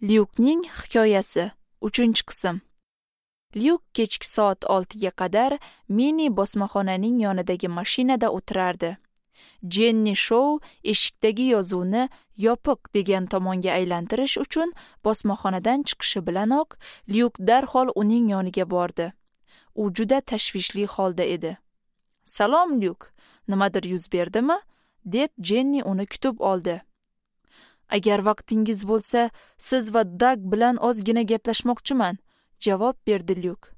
Lyukning hikoyasi 3-qism. Lyuk kechki soat 6 ga qadar mini bosmaxonaning yonidagi mashinada o'tirardi. Jenni Shou eshikdagi yozuvni yopiq degan tomonga aylantirish uchun bosmaxonadan chiqishi bilanoq Lyuk darhol uning yoniga bordi. U juda tashvishli holda edi. "Salom, Lyuk. Nimadir yuz berdimi?" deb Jenni uni kutib oldi. "Agar vaqtingiz bo'lsa, siz va Dag bilan ozgina gaplashmoqchiman", javob berdi Lyuk.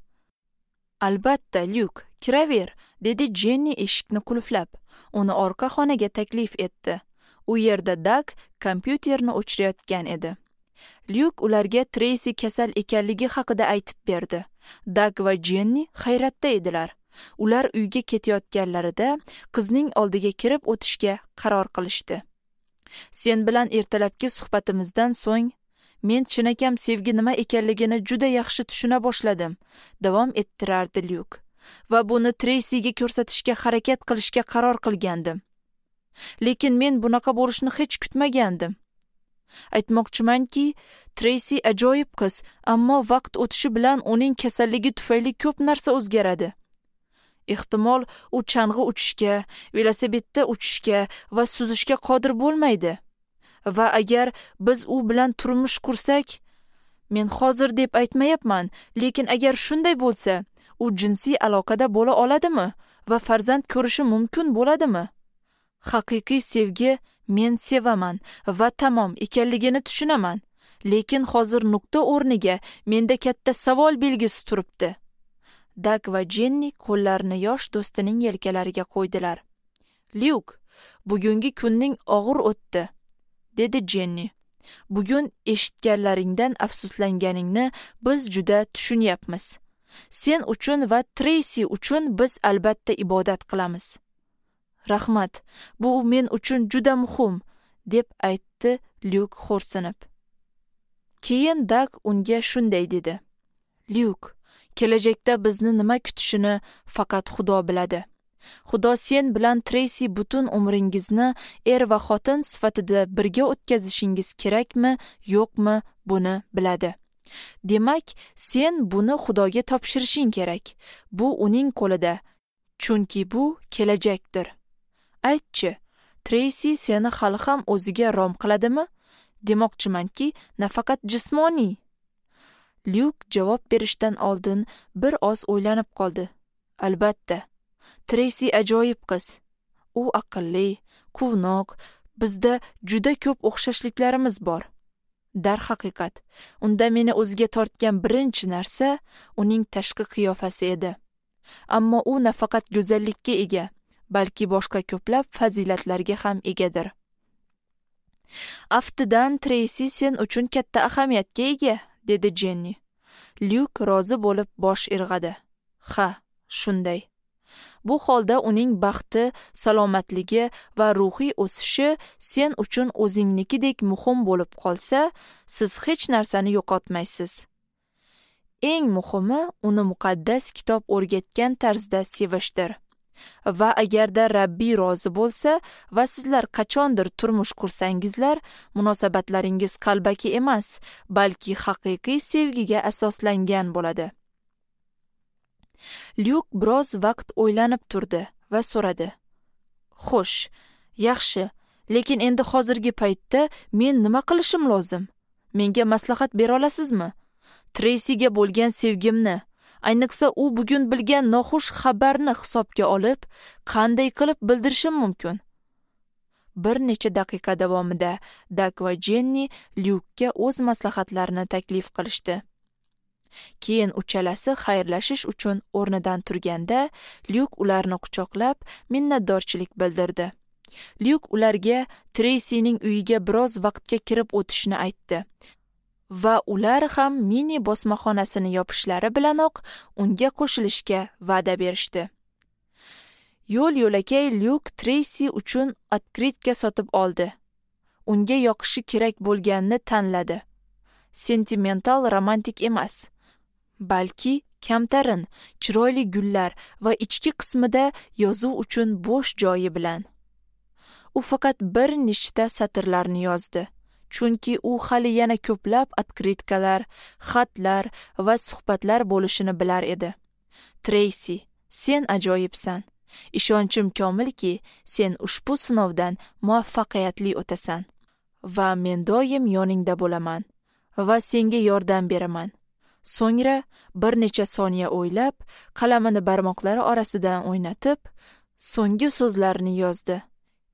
"Albatta, Lyuk, kiraver", dedi Jenni eshikni qulflab. Uni orqa xonaga taklif etdi. U yerda Dag kompyuterni o'chirayotgan edi. Lyuk ularga Treysi kasal ekanligi haqida aytib berdi. Dag va Jenni hayratda edilar. Ular uyga ketayotganlarida qizning oldiga kirib o'tishga qaror qilishdi. "Sen bilan ertalabki suhbatimizdan so'ng men chinakam sevgi nima ekanligini juda yaxshi tushuna boshladim", davom ettirardi Lyuk. "Va buni Treysiga ko'rsatishga harakat qilishga qaror qilgandim. Lekin men bunaqa bo'lishini hech kutmagandim. Aytmoqchimanki, Treysi ajoyib qiz, ammo vaqt o'tishi bilan uning kasalligi tufayli ko'p narsa o'zgaradi. Ehtimol, u chang'i uchishga, velosipedda uchishga va suzishga qodir bo'lmaydi. Va agar biz u bilan turmush qursak, men hozir deb aytmayapman, lekin agar shunday bo'lsa, u jinsiy aloqada bo'la oladimi va farzand ko'rishi mumkin bo'ladimi? Haqiqiy sevgi men sevaman va tamom ekanligini tushunaman, lekin hozir nuqta o'rniga menda katta savol belgisi turibdi." Dag va Jenni qo'llarini yosh do'stining yelkalariga qo'ydilar. "Lyuk, bugungi kunning og'ir o'tdi", dedi Jenni. "Bugun eshitganlaringdan afsuslanganingni biz juda tushunyapmiz. Sen uchun va Treysi uchun biz albatta ibodat qilamiz." "Rahmat, bu men uchun juda muhim", deb aytdi Lyuk xo'rsinib. Keyin Dag unga shunday dedi: "Lyuk, kelajakda bizni nima kutishini faqat Xudo biladi. Xudo sen bilan Treysi butun umringizni er va xotin sifatida birga o'tkazishingiz kerakmi, yo'qmi, buni biladi. Demak, sen buni Xudoga topshirishing kerak. Bu uning qo'lida, chunki bu kelajakdir. Aytchi, Treysi seni hali ham o'ziga rom qiladimi? Demoqchimanki, nafaqat jismoniy." Lyuk javob berishdan oldin bir oz o'ylanib qoldi. "Albatta, Treysi ajoyib qiz. U aqlli, quvnoq, bizda juda ko'p o'xshashliklarimiz bor. Darhaqiqat, unda meni o'ziga tortgan birinchi narsa uning tashqi qiyofasi edi. Ammo u nafaqat go'zallikka ega, balki boshqa ko'plab fazilatlarga ham egadir. Aftidan Treysi sen uchun katta ahamiyatga ega", dedi Jenni. Lyuk rozi bo'lib bosh irg'adi. "Ha, shunday. Bu holda uning baxti, salomatligi va ruhiy o'sishi sen uchun o'zingnikidek muhim bo'lib qolsa, siz hech narsani yo'qotmaysiz. Eng muhimi uni muqaddas kitob o'rgatgan tarzda sevishdir. Va agarda Rabbiy rozi bo'lsa va sizlar qachondir turmush qursangizlar, munosabatlaringiz qalbaki emas, balki haqiqiy sevgiga asoslangan bo'ladi." Lyuk biroz vaqt o'ylanib turdi va so'radi: "Xo'sh, yaxshi, lekin endi hozirgi paytda men nima qilishim lozim? Menga maslahat bera olasizmi? Treysiga bo'lgan sevgimni, ayniqsa u bugun bilgan noxush xabarni hisobga olib, qanday qilib bildirishim mumkin?" Bir necha daqiqa davomida Dag va Jenni Lyukka o'z maslahatlarini taklif qilishdi. Keyin uchalasi xayrlashish uchun o'rnidan turganda Lyuk ularni quchoqlab minnatdorchilik bildirdi. Lyuk ularga Treysining uyiga biroz vaqtga kirib o'tishni aytdi va ular ham mini bosmaxonasini yopishlari bilanoq unga qo'shilishga va'da berishdi. Yo'l yo'lakay Lyuk Treysi uchun otkritka sotib oldi. Unga yoqishi kerak bo'lganini tanladi. Sentimental romantik emas, balki kamtarin, chiroyli gullar va ichki qismida yozuv uchun bo'sh joyi bilan. U faqat bir nechta satrlarni yozdi. Chunki u hali yana ko'plab otkritkalar, xatlar va suhbatlar bo'lishini bilar edi. Treysi, sen ajoyibsan. Ishonchim komilki, sen ushbu sinovdan muvaffaqiyatli o'tasan. Va men doim yoningda bo'laman va senga yordam beraman. So'ngra bir necha soniya o'ylab, qalamini barmoqlari orasidan o'ynatib, so'nggi so'zlarini yozdi.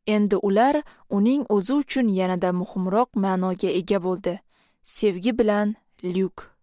Endi ular uning o'zi uchun yanada muhimroq ma'noga ega bo'ldi. Sevgi bilan, Lyuk.